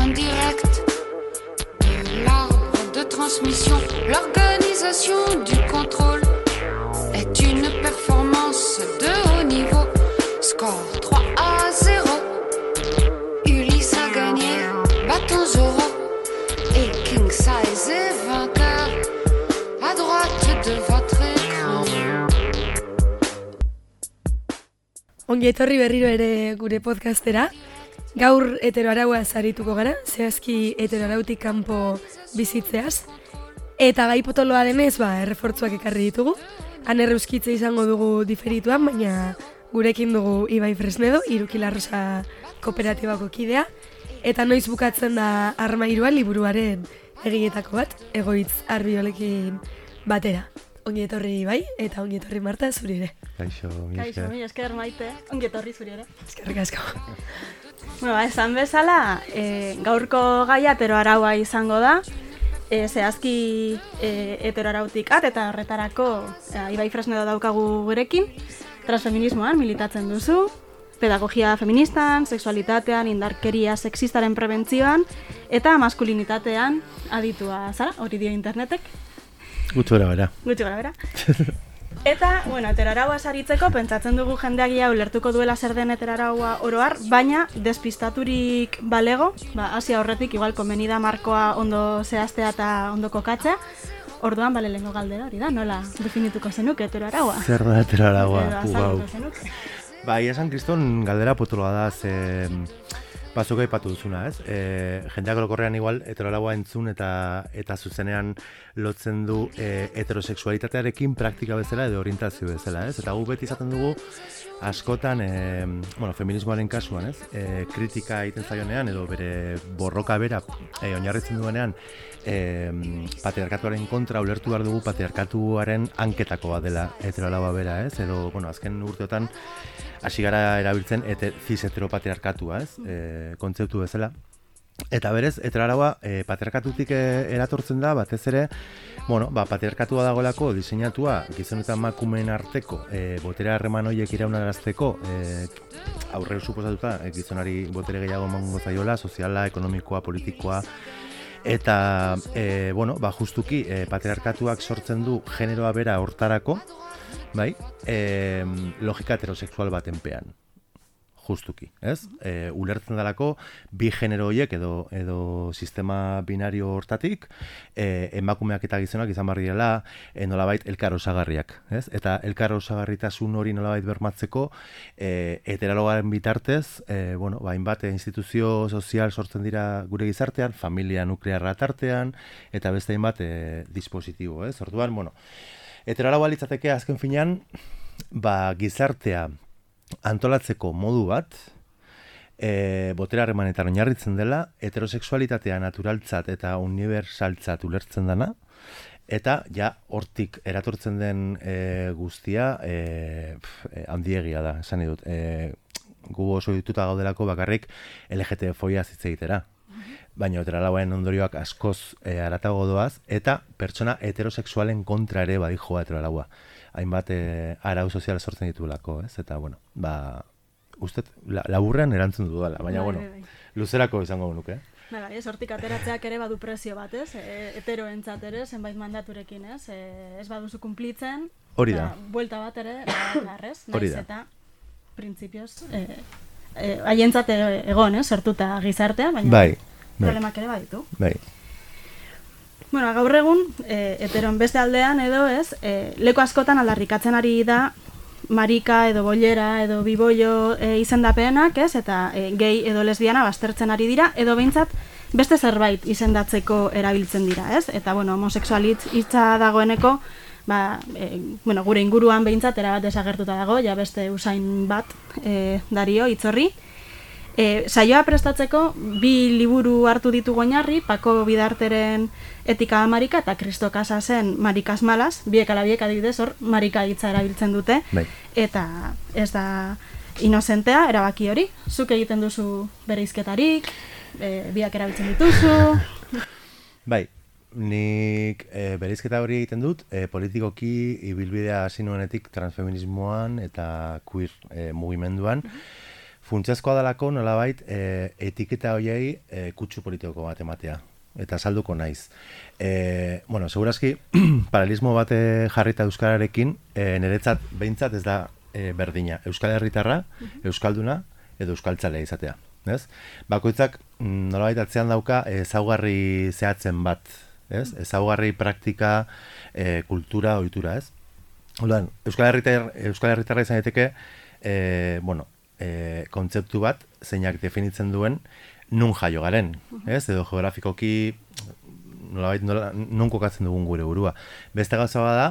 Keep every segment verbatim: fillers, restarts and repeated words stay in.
en direct de l'arbre de transmission. L'organisation du contrôle est une performance de haut niveau. Score trois à zéro. Ulysse a gagné, bâton Zoro. Et King Size est vainqueur à droite de votre écran. Ongi etorri berriro ere gure podcastera. Gaur heteroaraua zarituko gara, zehazki heteroarautik kanpo bizitzeaz. Eta gai potoloa denez, ba, errefortzuak ekarri ditugu. Han erreuskitze izango dugu diferituan, baina gurekin dugu Ibai Fresnedo, Irukila Rosa kooperatibako kidea. Eta noiz bukatzen da Armairuan liburuaren egiletako bat, Egoitz Arbiolekin batera. Ongi etorri Ibai, eta ongi etorri Marta, zuri ere. Kaixo, mi esker. Kaixo, mi esker Maite, ongi etorri zuri ere. Eskerrik asko. Bueno, ba, esan bezala, e, gaurko gaia heteroaraua izango da, e, zehazki e, heteroarautik at eta horretarako e, Ibai Fresnedo daukagu gurekin, transfeminismoan militatzen duzu, pedagogia feministan, sexualitatean, indarkeria sexistaren prebentzioan, eta maskulinitatean aditua zara, hori dio internetek. Gutxi gara bera. Gutxi gara bera. Eta, bueno, heteroaraua saritzeko, pentsatzen dugu jendeagia ulertuko duela zer den heteroaraua oroar, baina despistaturik balego, ba, hasia horretik, igual komeni da markoa ondo zehaztea eta ondo kokatzea, orduan bale lehenko galdera hori da, nola definituko zenuke heteroaraua? Zer da heteroaraua? Edo azalduko zenuke. Ba, iasan kriston galdera potoloa da, ze bazuk aipatu duzuna, ez? E, jendeak orokorrean igual heteroaraua entzun eta eta zuzenean lotzen du e, heterosexualitatearekin praktika bezala edo orientazio bezala, ez? Eta gu beti izaten dugu askotan, e, bueno, feminismoaren kasuan, ez? E, kritika egiten zaionean edo bere borroka bera e, oinarritzen duenean e, patriarkatuaren kontra ulertu behar dugu patriarkatuaren hanketako bat dela heteroaraua bera, ez? Edo, bueno, azken urteotan hasi gara erabiltzen ete, cis heteropatriarkatua, ez? E, kontzeptu bezala. Eta berez, heteroaraua e, patriarkatutik e, eratortzen da, batez ere, bueno, ba, patriarkatua dagoelako diseinatua gizon eta emakumeen arteko e, botere harreman horiek iraunarazteko e, aurre suposatuta e, gizonari botere gehiago emango zaiola, soziala, ekonomikoa, politikoa, eta, e, bueno, ba, justuki e, patriarkatuak sortzen du generoa bera hortarako, bai, e, logika heterosexual batenpean. Justuki, ez? E, ulertzen dalako bi genero horiek edo edo sistema binario hortatik e, emakumeak eta gizonak izan behar direla e, nolabait elkar osagarriak, ez? Eta elkar osagarritasun hori nolabait bermatzeko e, heterologaren bitartez, e, bueno, ba, hainbat instituzio sozial sortzen dira gure gizartean, familia nuklearra tartean eta beste hainbat e, dispositibo, ez? Orduan, bueno, heterologoa litzateke azken finean, ba, gizartea antolatzeko modu bat, e, botere harremanetan oinarritzen dela, heterosexualitatea naturaltzat eta unibertsaltzat ulertzen dana, eta ja hortik eratortzen den e, guztia e, pf, e, handiegia da, esan dut. E, gu oso dituta gaudelako bakarrik L G T B fobia hitz egitera. Baina heteroarauaren ondorioak askoz e, haratago doaz, eta pertsona heterosexualen kontra ere badijoa heteroaraua. Hainbat e, arau sozial sortzen ditulako, ez? Eta, bueno, ba, uste, la, laburrean erantzun dudala, baina, bueno, luzerako izango nuke, eh? Bai, ez, hortik ateratzeak ere badu prezio bat, ez? E, heteroentzat ere, zenbait mandaturekin, ez? E, ez baduzu kumplitzen. Hori da. Buelta bat ere, garrez, Hori naiz da. eta printzipioz, e, e, haientzat egon, ez? Sortuta gizartea, baina bai, bai. problemak ere baditu. Bai. Bueno, gaur egun, e, heteron beste aldean edo ez, e, leku askotan aldarrikatzen ari da marika edo bollera edo bibollo e, izendapenak, ez? Eta e, gay edo lesbiana baztertzen ari dira, edo behintzat beste zerbait izendatzeko erabiltzen dira, ez? Eta, bueno, homosexualitz hitza dagoeneko, ba, e, bueno, gure inguruan behintzat erabat desagertuta dago, ja beste usain bat e, dario hitzorri. E, saioa prestatzeko bi liburu hartu ditugu oinarri, Pako Bidarteren Etika Marika eta Kristo Casasen Marikas Malas, biek ala biek adibidez hor marika hitza erabiltzen dute. Bai. Eta ez da inozentea erabaki hori. Zuk egiten duzu bereizketarik, e, biak erabiltzen dituzu. Bai. Nik e, bereizketa hori egiten dut, e, politikoki ibilbidea hasi nuenetik transfeminismoan eta queer e, mugimenduan. funtsezkoa dalako nolabait e, etiketa horiei e, kutsu politiko bat ematea. Eta salduko naiz. E, bueno, segurazki, paralelismo bat jarrita euskararekin, e, niretzat behintzat ez da e, berdina. Euskal Herritarra, euskalduna edo euskaltzalea izatea. Ez? Bakoitzak nolabait atzean dauka ezaugarri zehatzen bat. Ez? Ezaugarri praktika, e, kultura, ohitura, ez? Orduan, Euskal Herritar, Euskal Herritarra izan daiteke, e, bueno, e, kontzeptu bat zeinak definitzen duen nun jaio garen, ez? Edo geografikoki nolabait nola, nun kokatzen dugun gure burua. Beste gauza bada,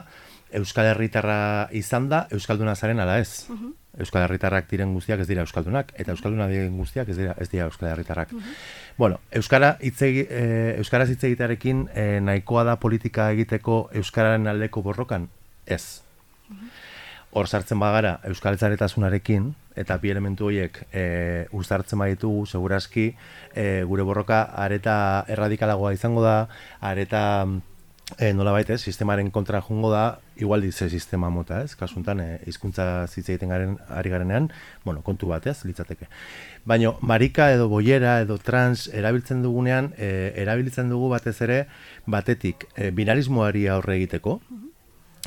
Euskal Herritarra izan da, euskalduna zaren ala ez. Uh-huh. Euskal Herritarrak diren guztiak ez dira euskaldunak, eta euskalduna diren guztiak ez dira, ez dira Euskal Herritarrak. Uh-huh. Bueno, euskara hitzegi, eh, euskaraz hitz egitearekin eh, nahikoa da politika egiteko euskararen aldeko borrokan? Ez. Hor uh-huh. sartzen bagara euskaltzaretasunarekin, eta bi elementu horiek e, uztartzen baditugu, segurazki e, gure borroka areta erradikalagoa izango da, areta e, nolabait ez, sistemaren kontra jungo da, igual dize sistema mota, ez? Kasuntan, e, hizkuntza hitz egiten garen, ari garenean, bueno, kontu bat, ez, litzateke. Baina, marika edo boiera edo trans erabiltzen dugunean, e, erabiltzen dugu batez ere, batetik, e, binarismoari aurre egiteko,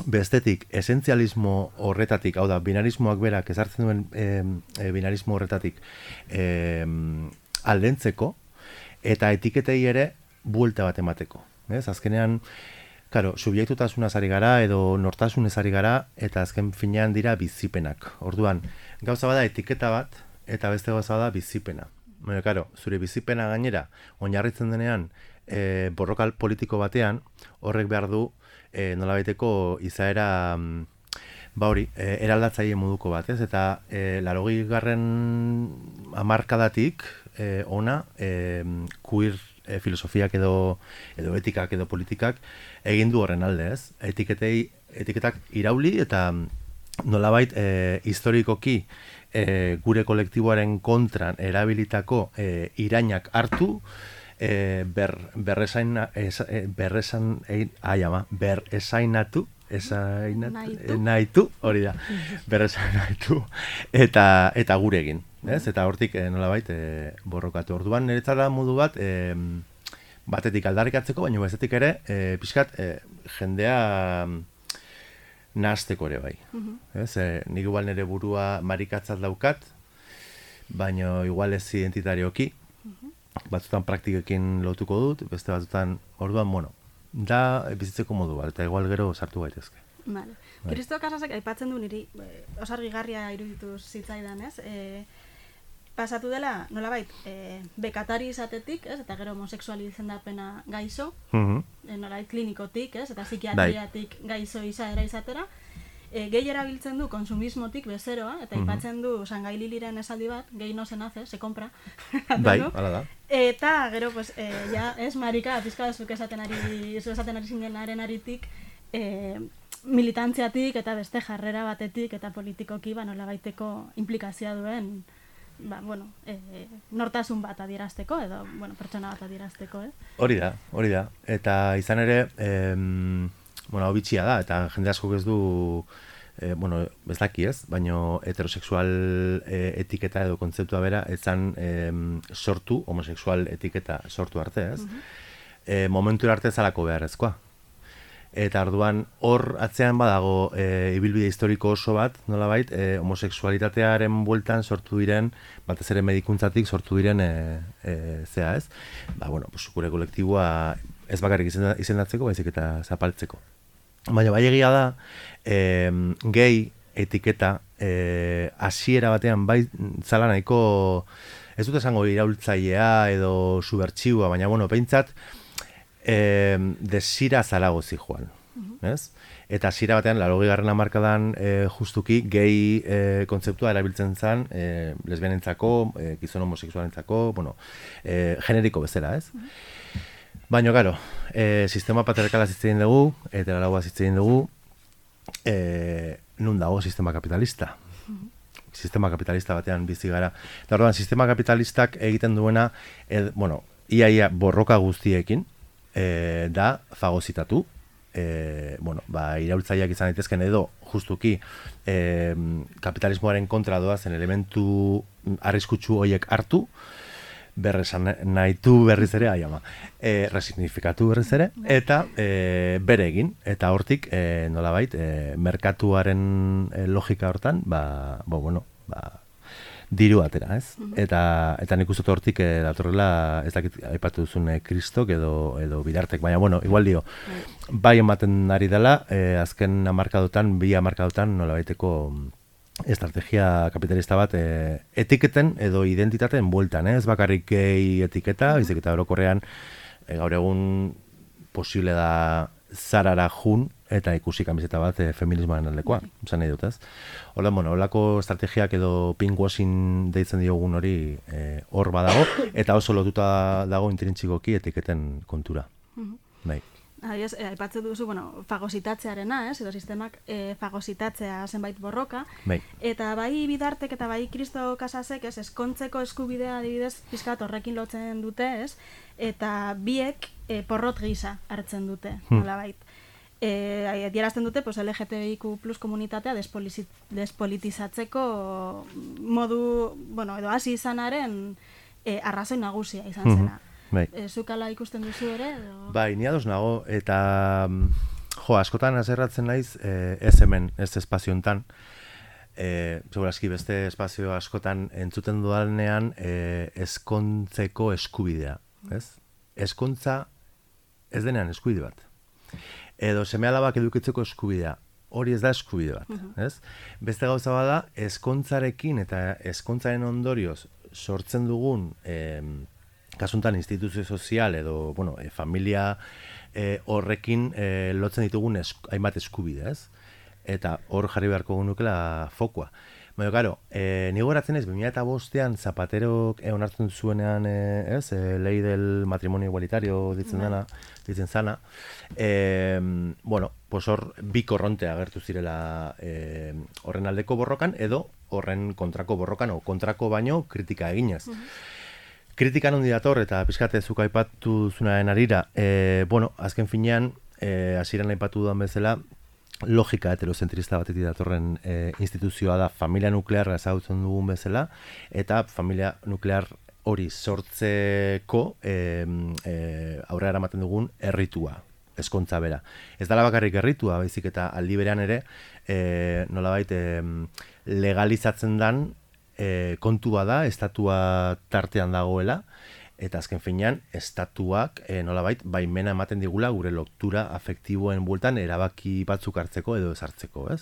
bestetik, esentzialismo horretatik, hau da, binarismoak berak ezartzen duen e, e, binarismo horretatik e, aldentzeko, eta etiketei ere buelta bat emateko. Ez? Azkenean, claro, subjektutasunaz ari gara, edo nortasunez ari gara, eta azken finean dira bizipenak. Orduan, gauza bada etiketa bat, eta beste gauza bada bizipena. Baina, claro, zure bizipena gainera, oinarritzen denean, e, borrokal politiko batean, horrek behar du, E, nolabaiteko izaera ba hori, e, eraldatzaile moduko bat, ez? Eta e, larogi garren hamarkadatik e, ona e, queer e, filosofiak edo, edo etikak edo politikak egin du horren alde, ez? Etiketei, etiketak irauli eta nolabait e, historikoki e, gure kolektiboaren kontran erabilitako e, irainak hartu, E, ber, berresain, es, e, berresan, e, ai ama, beresainatu, esainatu, nahitu, hori da, beresainatu, eta, eta gure egin, ez? Eta hortik e, nolabait e, borrokatu. Orduan niretzara modu bat, e, batetik aldarrikatzeko, baina bestetik ere, e, pixkat, e, jendea nahasteko ere bai. Uh-huh. Ez? E, nik igual nire burua marikatzat daukat, baina igual ez identitarioki, uh-huh. Batzutan praktikekin lotuko dut, beste batzutan, orduan, bueno, da bizitzeko modu bat, eta igual gero sartu gaitezke. Vale. Bai. Kristo Kasasek aipatzen du niri, e, osargigarria iruditu zitzaidan, ez? E, pasatu dela, nolabait, e, bekatari izatetik, ez? Eta gero homosexuali izendapena gaixo, uh-huh. e, nolabait klinikotik, ez? Eta psikiatriatik gaixo izaera izatera, E, gehi erabiltzen du konsumismotik bezeroa, eta mm-hmm. ipatzen du Sangai Liliren esaldi bat, gehi no se nace, se compra. Bai, hala da. Eta gero, pues, e, ja, ez marika, pizka zuk esaten ari, zu esaten ari zinenaren aritik, e, militantziatik eta beste jarrera batetik eta politikoki, ba, nolabaiteko implikazioa duen, ba, bueno, e, nortasun bat adierazteko, edo, bueno, pertsona bat adierazteko, eh? Hori da, hori da. Eta izan ere, em, bueno, hau bitxia da, eta jende askok ez du, e, bueno, ez daki ez, baina heterosexual e, etiketa edo kontzeptua bera, etzan e, sortu, homosexual etiketa sortu arte, ez? Uh-huh. E, momentu arte zalako beharrezkoa. Eta orduan hor atzean badago e, ibilbide historiko oso bat, nolabait, e, homosexualitatearen bueltan sortu diren, batez ere medikuntzatik sortu diren e, e, zea ez. Ba, bueno, pues, gure kolektiboa ez bakarrik izendatzeko, baizik eta zapaltzeko. Baina bai egia da, e, gehi etiketa e, hasiera batean bai zala nahiko, ez dut esango iraultzailea edo subertsiua, baina bueno, behintzat e, desira zalago zijoan, uh-huh. ez? Eta hasiera batean, laurogei garren hamarkadan e, justuki gehi e, kontzeptua erabiltzen zen e, lesbianentzako, e, gizon homosexualentzako, bueno, e, generiko bezala, ez? Uh-huh. Baina, gero, e, sistema patriarkala zitzen dugu, eta lagoa zitzen dugu, e, nun dago sistema kapitalista. Mm-hmm. Sistema kapitalista batean bizi gara. Eta orduan, sistema kapitalistak egiten duena, ed, bueno, iaia borroka guztiekin, e, da fagozitatu, e, bueno, ba, iraultzaileak izan daitezken edo justuki e, kapitalismoaren kontra doazen elementu arriskutsu horiek hartu, berresan nahitu berriz ere, ai ama, e, resignifikatu berriz ere, eta e, bere egin, eta hortik e, nolabait, e, merkatuaren e, logika hortan, ba, bo, bueno, ba, diru atera, ez? Eta, eta nik uste hortik e, datorrela, ez dakit aipatu duzun e, kristok edo, edo bidartek, baina, bueno, igual dio, bai ematen ari dela, e, azken hamarkadotan, bi hamarkadotan nolabaiteko estrategia kapitalista bat e, etiketen edo identitateen bueltan, eh? Ez bakarrik gehi etiketa, baizik eta orokorrean e, gaur egun posible da zarara jun eta ikusi kamiseta bat e, feminismoaren aldekoa, esan nahi dut, ez? Hola, bueno, holako estrategiak edo pinkwashing deitzen diogun hori e, hor badago, eta oso lotuta dago intrintxikoki etiketen kontura. Bai. Adiez, eh, aipatzen duzu, bueno, fagositatzearena, ez, edo sistemak eh, fagositatzea zenbait borroka, bai. Eta bai bidartek eta bai Kristo Kasasek, ez, eskontzeko eskubidea adibidez pizkat horrekin lotzen dute, ez, eta biek eh, porrot gisa hartzen dute, hmm. nolabait. Eh, adierazten dute, pues, L G T B I Q plus komunitatea despolitizatzeko modu, bueno, edo hasi izanaren eh, arrazoi nagusia izan zena. Hmm. Bai. E, zukala ikusten duzu ere? Edo? Bai, ni ados nago, eta jo, askotan azerratzen naiz, eh, ez hemen, ez espaziontan, eh, segurazki beste espazio askotan entzuten dudanean eh, eskontzeko eskubidea, ez? Eskontza ez denean eskubide bat. Edo seme alabak edukitzeko eskubidea, hori ez da eskubide bat, uh-huh. ez? Beste gauza bada, eskontzarekin eta eskontzaren ondorioz sortzen dugun eh, kasuntan instituzio sozial edo, bueno, e, familia e, horrekin e, lotzen ditugun esk, hainbat eskubide, ez? Eta hor jarri beharko gunukela fokua. Baina, karo, e, nigo eratzen ez, bi mila bostean Zapaterok e, onartzen zuenean, e, ez? E, lei del matrimonio igualitario ditzen dana, ditzen zana. E, bueno, pues hor bi korronte agertu zirela e, horren aldeko borrokan edo horren kontrako borrokan o kontrako baino kritika eginez. Uh-huh. Kritikan hondi dator eta pixkate zuk aipatu zunaren arira, e, bueno, azken finean, e, hasieran aipatu dudan bezala, logika heterozentrista batetik datorren e, instituzioa da familia nuklearra ezagutzen dugun bezala, eta familia nuklear hori sortzeko e, e, aurrera eramaten dugun erritua, eskontza bera. Ez dala bakarrik erritua, baizik eta aldi berean ere, e, nolabait e, legalizatzen dan, E, kontua da, estatua tartean dagoela, eta azken finean, estatuak e, nolabait, baimena ematen digula gure lotura afektiboen bueltan erabaki batzuk hartzeko edo ezartzeko, ez?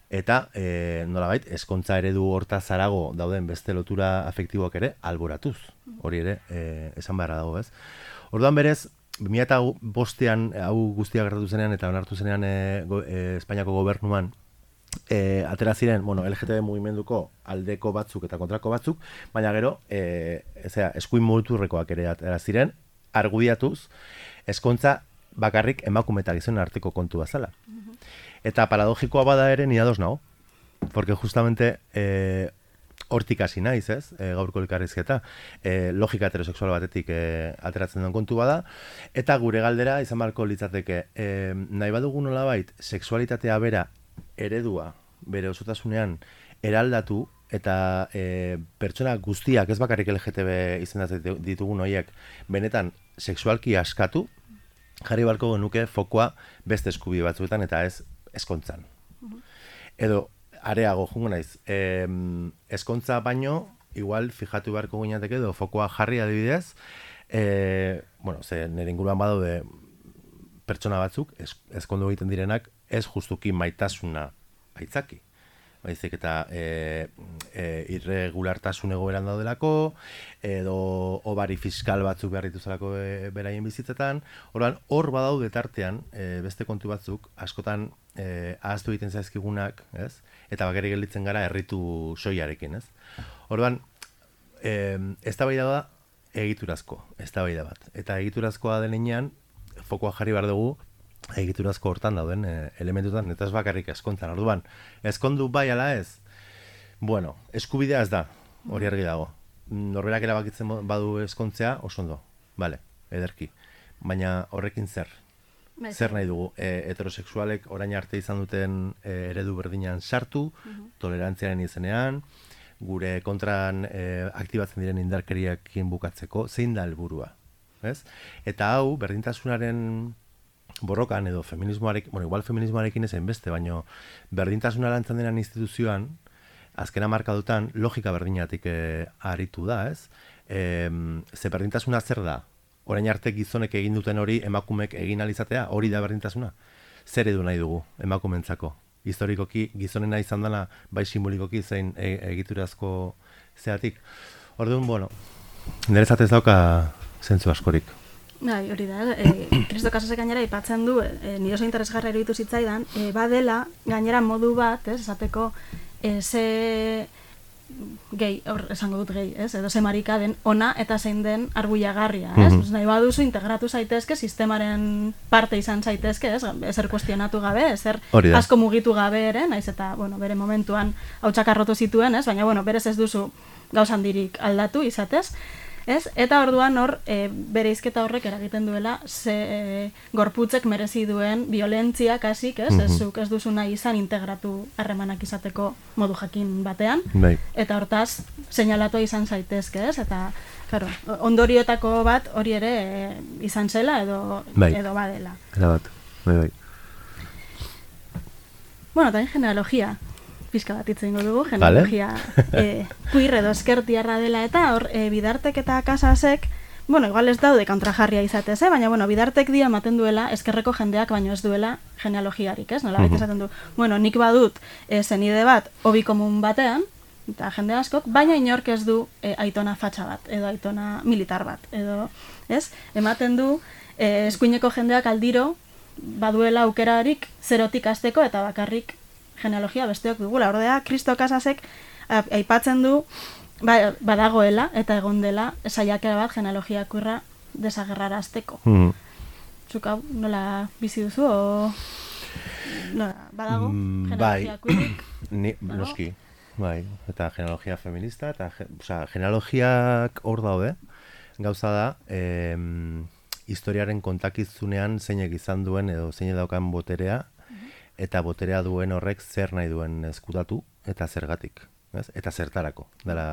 Eta e, nolabait, eskontza eredu hortaz harago dauden beste lotura afektiboak ere alboratuz, hori ere e, esan beharra dago, ez? Orduan berez, bi mila bostean hau guztia gertatu zenean eta onartu zenean e, go, e, Espainiako gobernuan, E, atera ziren, bueno, L G T B mugimenduko aldeko batzuk eta kontrako batzuk, baina gero, e, ezea, eskuin muturrekoak ere atera ziren, argudiatuz, eskontza bakarrik emakume eta gizonen arteko kontu bazala. Uh-huh. Eta paradogikoa bada ere ni ados nago, porque justamente e, hortik hasi naiz, ez, e, gaurko elkarrizketa, e, logika heterosexual batetik e, ateratzen den kontu bada, eta gure galdera izan barko litzateke, e, nahi badugu nolabait, sexualitatea bera eredua bere osotasunean eraldatu eta e, pertsona guztiak ez bakarrik L G T B izendatzen ditugun horiek benetan sexualki askatu, jarri barko genuke fokoa beste eskubide batzuetan eta ez eskontzan. Uh-huh. Edo areago jungo naiz, e, eskontza baino igual fijatu beharko gineateke edo fokoa jarri adibidez, e, bueno, ze nire inguruan badaude pertsona batzuk, ezkondu egiten direnak, ez justuki maitasuna aitzaki. Baizik eta e, e, irregulartasun egoeran daudelako, edo obari fiskal batzuk behar dituzalako e, beraien bizitzetan. Orduan, hor badaude tartean, e, beste kontu batzuk, askotan e, ahaztu egiten zaizkigunak, ez? Eta bakarrik gelditzen gara erritu soiarekin, ez? Orduan, e, eztabaida da egiturazko, eztabaida bat. Eta egiturazkoa denean, fokoa jarri behar dugu, egiturazko hortan dauden e, elementutan, eta ez bakarrik eskontzan. Orduan, eskondu bai ala ez, bueno, eskubidea ez da, hori argi dago. Norberak erabakitzen badu eskontzea, oso ondo, bale, ederki. Baina horrekin zer, zer nahi dugu, e, heterosexualek orain arte izan duten e, eredu berdinean sartu, uh-huh. tolerantziaren izenean, gure kontran e, aktibatzen diren indarkeriakin bukatzeko, zein da helburua, ez? Eta hau, berdintasunaren borrokan edo feminismoarekin, bueno, igual feminismoarekin ezen beste, baino berdintasuna lantzen denan instituzioan, azkena markadutan, logika berdinatik e, aritu da, ez? E, ze berdintasuna zer da? Orain arte gizonek egin duten hori emakumek egin alizatea, hori da berdintasuna? Zer edu nahi dugu emakumentzako? Historikoki gizonena izan dela, bai simbolikoki zein e, egiturazko zeatik. Orduan, bueno, niretzat ez dauka zentzu askorik. Bai, hori da, e, Kristo Casasek gainera aipatzen du, e, nire oso interesgarra iruditu zitzaidan, e, badela, gainera modu bat, ez, esateko, e, ze gehi, hor, esango dut gehi, ez, edo ze marika den ona eta zein den arbuiagarria, ez, mm-hmm. nahi baduzu integratu zaitezke, sistemaren parte izan zaitezke, ez, ezer kuestionatu gabe, ezer asko mugitu gabe ere, naiz eta, bueno, bere momentuan hautsak arrotu zituen, ez, baina, bueno, berez ez duzu gauzandirik aldatu izatez, ez? Eta orduan hor, e, bere izketa horrek eragiten duela ze e, gorputzek merezi duen violentzia kasik, ez? Mm-hmm. Ez, zuk ez duzu nahi izan integratu harremanak izateko modu jakin batean. Bai. Eta hortaz, seinalatua izan zaitezke, ez? Eta, claro, ondorioetako bat hori ere e, izan zela edo, bai. edo badela. Era bat, bai, bai. Bueno, también genealogia. Pizka bat itzen dugu, genealogia vale. e, queer edo eskertiarra dela eta hor e, Bidartek eta Casasek, bueno, igual ez daude kontrajarria izatez, eh? Baina, bueno, Bidartek dia ematen duela eskerreko jendeak baino ez duela genealogiarik, ez? Nola uh-huh. esaten du, bueno, nik badut e, zenide bat hobi komun batean, eta jende askok, baina inork ez du e, aitona fatxa bat, edo aitona militar bat, edo, ez? Ematen du, e, eskuineko jendeak aldiro baduela aukerarik zerotik hasteko eta bakarrik genealogia besteok dugula. Ordea, Kristo Casasek aipatzen du ba, badagoela eta egon dela saiakera bat genealogia kurra desagerrarazteko. Mm. Zuk hau nola bizi duzu o nola, badago mm, genealogia kurrik? Ni, noski, bai, eta genealogia feminista, eta osea, genealogiak hor daude, gauza da, eh, historiaren kontakizunean zeinek izan duen edo zeinek daukan boterea, eta boterea duen horrek zer nahi duen ezkutatu eta zergatik, ez? Eta zertarako, dela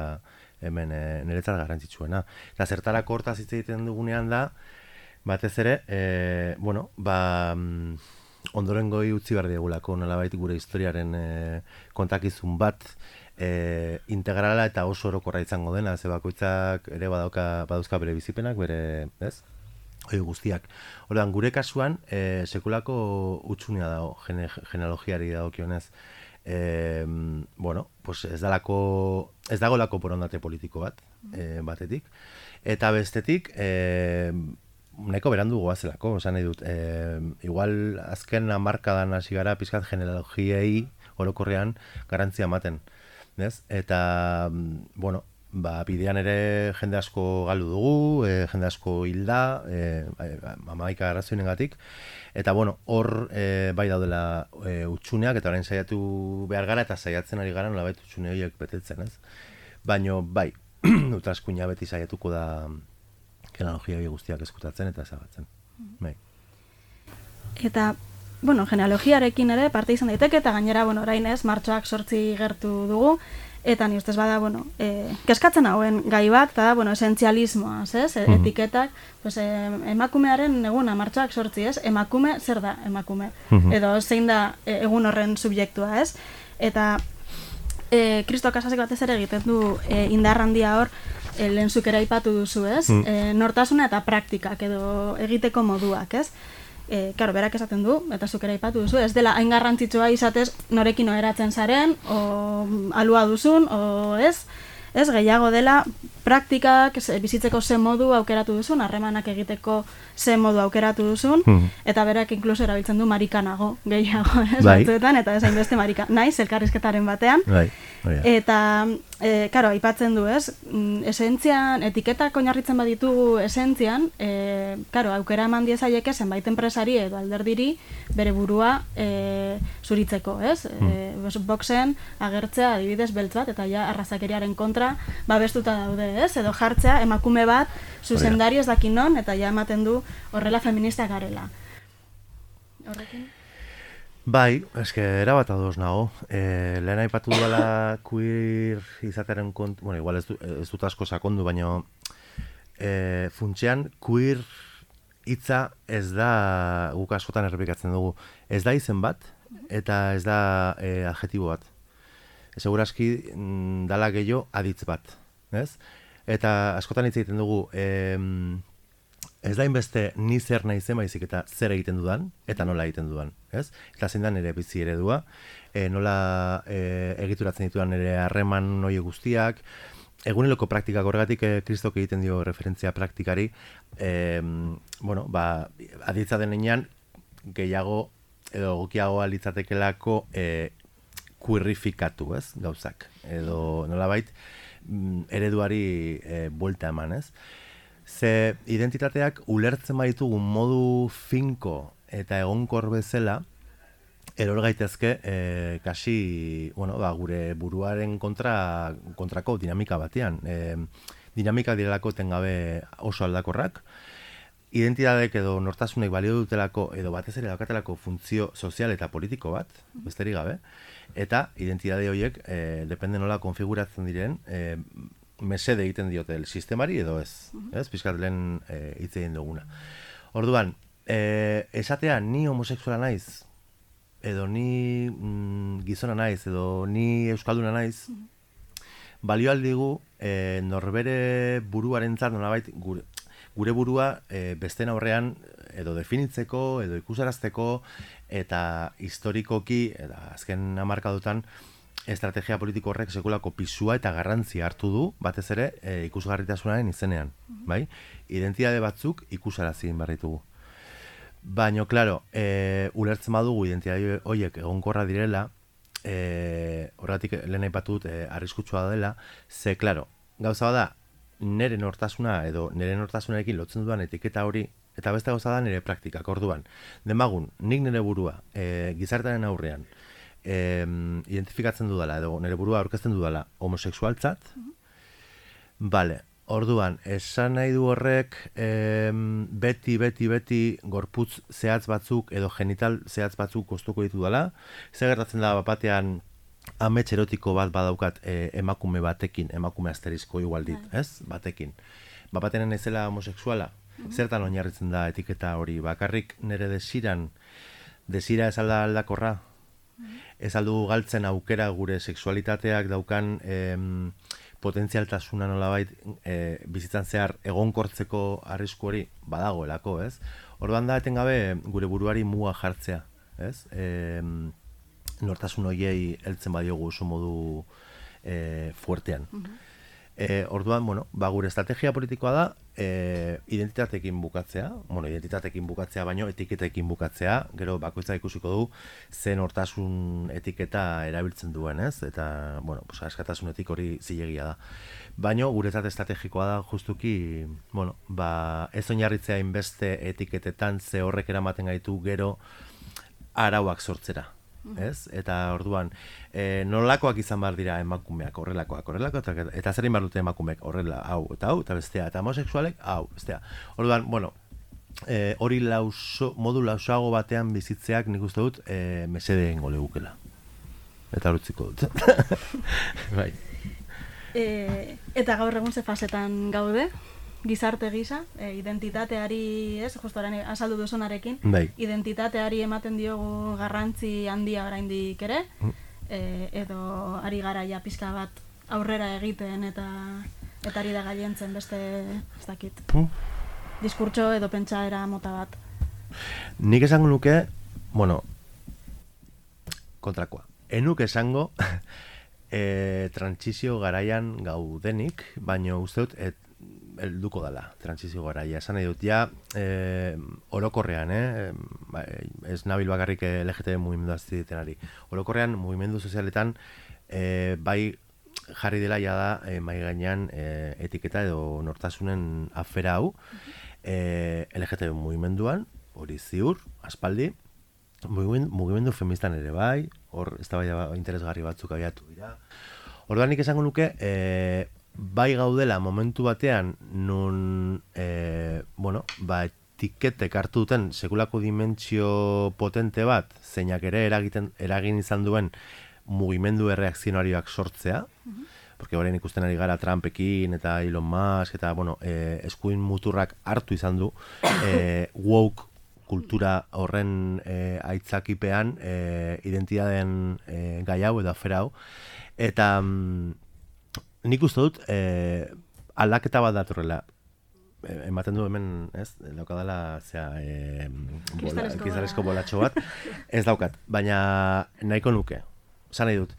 hemen e, niretzat garrantzitsuena. Eta zertarako hortaz hitz egiten dugunean da, batez ere, e, bueno, ba, ondorengoi utzi behar diegulako nolabait gure historiaren e, kontakizun bat e, integrala eta oso orokorra izango dena, ze bakoitzak ere badauka, badauzka bere bizipenak, bere, ez? Hoi guztiak. Orduan, gure kasuan, e, sekulako utxunea dago, gene, genealogiari dagokionez. E, bueno, pues ez dalako, ez dagolako borondate politiko bat, e, batetik. Eta bestetik, e, nahiko berandu goazelako, esan nahi dut. E, igual, azken hamarkadan hasi gara pizkat genealogiei orokorrean garantzia ematen. Ez? Eta, bueno, ba, bidean ere jende asko galdu dugu, e, jende asko hilda, e, amaika arrazoinengatik, eta bueno, hor e, bai daudela e, utxuneak, eta orain saiatu behar gara, eta saiatzen ari gara nolabait utxune horiek betetzen, ez? Baina bai, utraskuina beti saiatuko da genealogia guztiak eskutatzen eta ezabatzen. Bai. Eta, bueno, genealogiarekin ere parte izan daiteke, eta gainera, bueno, orain ez, martxoak sortzi gertu dugu, eta ni ustez bada, bueno, e, keskatzen hauen gai bat, eta, bueno, esentzialismoa, ez? E, mm-hmm. Etiketak, pues, e, emakumearen eguna, martxoak sortzi, ez? Emakume, zer da emakume? Mm-hmm. Edo zein da e, egun horren subjektua, ez? Eta e, Kristo Casasek batez ere egiten du e, indar handia hor, e, lehen zuk ere aipatu duzu, ez? Mm. E, nortasuna eta praktikak edo egiteko moduak, ez? E, karo, berak esaten du, eta zuk ere aipatu duzu, ez dela hain garrantzitsua izatez norekin oheratzen zaren, o alua duzun, o ez, ez, gehiago dela praktikak, bizitzeko ze modu aukeratu duzun, harremanak egiteko ze modu aukeratu duzun, mm. eta berak inkluso erabiltzen du marikanago, gehiago, ez, bai. Batzuetan, eta ez hainbeste marika, naiz, elkarrizketaren batean, bai. Oh, yeah. Eta, e, karo, aipatzen du, ez, esentzian, etiketak oinarritzen baditugu esentzian, e, karo, aukera eman diezaieke zenbait enpresari edo alderdiri bere burua e, zuritzeko, ez, mm. e, boxen agertzea adibidez beltz bat, eta ja arrazakeriaren kontra babestuta daude, ez, edo jartzea emakume bat zuzendari ez dakin non, eta ja ematen du horrela feministak garela. horrekin? Bai, eske erabat ados nago. E, lehen aipatu duela queer izatearen kontu, bueno, igual ez, du, ez dut asko sakondu, baina e, funtsean queer hitza ez da, guk askotan errepikatzen dugu, ez da izen bat, eta ez da e, adjetibo bat. Segurazki mm, dala gehiago aditz bat, ez? Eta askotan hitz egiten dugu, e, ez da inbeste ni zer naizen baizik eta zer egiten dudan, eta nola egiten dudan, ez? Eta zein da nire bizi eredua, e, nola e, egituratzen ditudan nire harreman hori guztiak, eguneroko praktikak horregatik e, Kristok egiten dio referentzia praktikari, e, bueno, ba, aditza denean gehiago edo gokiagoa litzatekelako e, kuirrifikatu, ez, gauzak, edo nolabait ereduari e, buelta eman, ez? Ze identitateak ulertzen baitugu modu finko eta egonkor bezala, eror gaitezke e, kasi, bueno, ba, gure buruaren kontra, kontrako dinamika batean. E, dinamika direlako tengabe oso aldakorrak, identitateek edo nortasunek balio dutelako edo batez ere daukatelako funtzio sozial eta politiko bat, besterik gabe, eta identitate horiek, e, depende nola konfiguratzen diren, e, mesede egiten diote sistemari edo ez, ez? Pizkat lehen e, hitz egin duguna. Orduan, e, esatea ni homosexuala naiz, edo ni mm, gizona naiz, edo ni euskalduna naiz, balio aldigu e, norbere buruarentzat nolabait gure, gure burua e, besten aurrean edo definitzeko, edo ikusarazteko, eta historikoki, eta azken hamarkadutan, estrategia politiko horrek sekulako pisua eta garrantzia hartu du, batez ere, e, ikusgarritasunaren izenean, bai? Identitate batzuk ikusarazi behar ditugu. Baina, klaro, e, ulertzen badugu identitate horiek egonkorra direla, e, horregatik lehen aipatu dut e, arriskutsua dela, ze, klaro, gauza bada, nire nortasuna edo nire nortasunarekin lotzen dudan etiketa hori, eta beste gauza da nire praktikak, orduan. Demagun, nik nire burua, e, gizartearen aurrean, E, identifikatzen dudala, edo nire burua aurkezten dudala homosexualtzat, bale, orduan, esan nahi du horrek e, beti, beti, beti gorputz zehatz batzuk edo genital zehatz batzuk kostuko ditu dela, ze gertatzen da batean amets erotiko bat badaukat e, emakume batekin, emakume asterizko igual dit, ez? Batekin. Bapatean naizela homosexuala, zertan oinarritzen da etiketa hori, bakarrik nire desiran, desira ez alda aldakorra, ez aldu galtzen aukera gure sexualitateak daukan em, potentzialtasuna nolabait e, bizitzan zehar egonkortzeko arrisku hori badagoelako, ez? Orduan da etengabe gure buruari muga jartzea, ez? E, nortasun hoiei heltzen badiogu oso modu e, fuertean. E, orduan, bueno, ba, gure estrategia politikoa da e, identitatekin bukatzea, bueno, identitatekin bukatzea baino etiketekin bukatzea, gero bakoitza ikusiko du zen nortasun etiketa erabiltzen duen, ez? Eta, bueno, pues, askatasunetik hori zilegia da. Baino, guretzat estrategikoa da justuki, bueno, ba, ez oinarritzea inbeste etiketetan ze horrek eramaten gaitu gero arauak sortzera. Ez? Eta orduan, e, nolakoak izan behar dira emakumeak, horrelakoak, horrelakoak, eta, eta zer behar dute emakumeak, horrela, hau, eta hau, eta bestea, eta homosexualek, hau, bestea. Orduan, bueno, e, hori lauso, modu lausoago batean bizitzeak nik uste dut e, mesede egingo legukela. Eta horutziko dut. Bai. E, eta gaur egun ze fasetan gaude? Gizarte gisa, e, identitateari, ez, justo orain azaldu duzunarekin, bai. Identitateari ematen diogu garrantzi handia oraindik ere, mm. e, edo ari gara ja pizka bat aurrera egiten eta eta ari da gailentzen beste, ez dakit, mm. diskurtso edo pentsaera mota bat. Nik esango nuke, bueno, kontrakoa. Enuk esango e, trantsizio garaian gaudenik, baina uste dut, et, helduko dela, trantsizio garaia. Esan nahi dut, ja, e, orokorrean, eh? ez nabil bakarrik L G T B mugimendu aziditenari. Orokorrean, mugimendu sozialetan, e, bai jarri dela ja da, e, mai gainean e, etiketa edo nortasunen afera hau, e, L G T B mugimenduan, hori ziur, aspaldi, mugimendu, mugimendu feministan ere bai, hor ez da bai interesgarri batzuk abiatu dira. Orduan nik esango nuke, e, bai gaudela momentu batean nun e, bueno, ba, tiketek hartu duten sekulako dimentsio potente bat, zeinak ere eragiten, eragin izan duen mugimendu erreakzionarioak sortzea, uh-huh. porque orain ikusten ari gara Trumpekin eta Elon Musk eta bueno, eh, eskuin muturrak hartu izan du eh, woke kultura horren eh, aitzakipean eh, identitateen eh, gai hau edo afera hau. Eta mm, nik uste dut eh, aldaketa bat datorrela. Ematen du hemen, ez, daukadala, zera, e, kristalezko bolatxo bat, ez daukat, baina nahiko nuke, zan nahi dut.